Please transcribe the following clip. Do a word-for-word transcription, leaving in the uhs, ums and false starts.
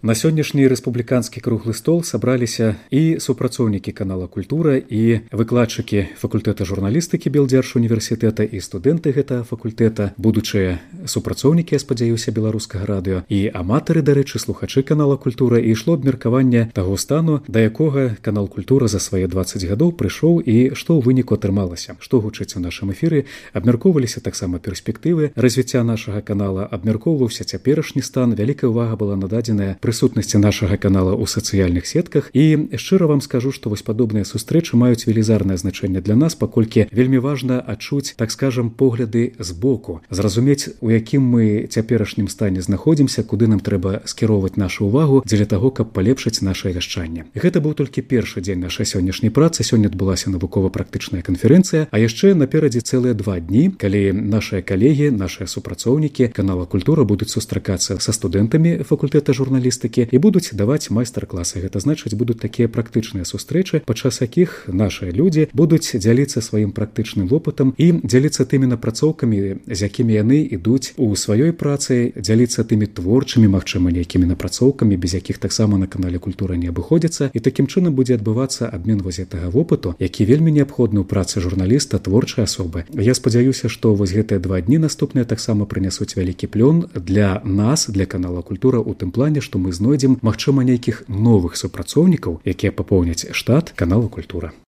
На сённяшні рэспубліканскі круглы стол сабраліся і супрацоўнікі канала Культура, і выкладчыкі факультэта журналістыкі Белдзяржуніверсітэта, і студэнты гэтага факультэта, будучыя супрацоўнікі, я спадзяюся, беларускага радыё, і аматары, дарэчы, слухачы канала Культура, і ішло абмеркаванне таго стану, да якога канал Культура за свае дваццаць гадоў прыйшоў і што ў выніку атрымалася. Што гучыць у нашым эфіры, абмяркоўваліся таксама перспектывы развіцця нашага канала, абмяркоўваўся цяперашні стан, вялікая ўвага была нададзеная прысутнасці нашага канала ў сацыяльных сетках. І шчыра вам скажу, што вось падобныя сустрэчы маюць велізарнае значэнне для нас, паколькі вельмі важна адчуць, так скажам, погляды з боку, зразумець, у якім мы цяперашнім стане знаходзімся, куды нам трэба скіроўваць нашу ўвагу дзеля таго, каб палепшыць нашае вяшчанне. Гэта быў толькі першы дзень нашай сённяшняй працы. Сёння адбылася навукова-практычная канферэнцыя, а яшчэ наперадзе цэлыя два дні, калі нашыя калегі, нашыя супрацоўнікі канала Культура будуць сустракацца са студэнтамі факультэта журналістыкі і будуць даваць майстар-класы. Гэта значыць, будуць такія практычныя сустрэчы, падчас якіх нашыя людзі будуць дзяліцца сваім практычным вопытам і дзяліцца тымі напрацоўкамі, з якімі яны ідуць у сваёй працы, дзяліцца тымі творчымі, магчыма, нейкімі напрацоўкамі, без якіх таксама на канале Культура не абыходзіцца. І такім чынам будзе адбывацца абмен вось гэтага вопыту, які вельмі неабходны ў працы журналіста, творчай асобы. Я спадзяюся, што вось гэтыя два дні наступныя таксама прынясуць вялікі плён для нас, для канала Культура, у тым плане, што мы знойдзем, магчыма, нейкіх новых супрацоўнікаў, якія папоўняць штат канала Культура.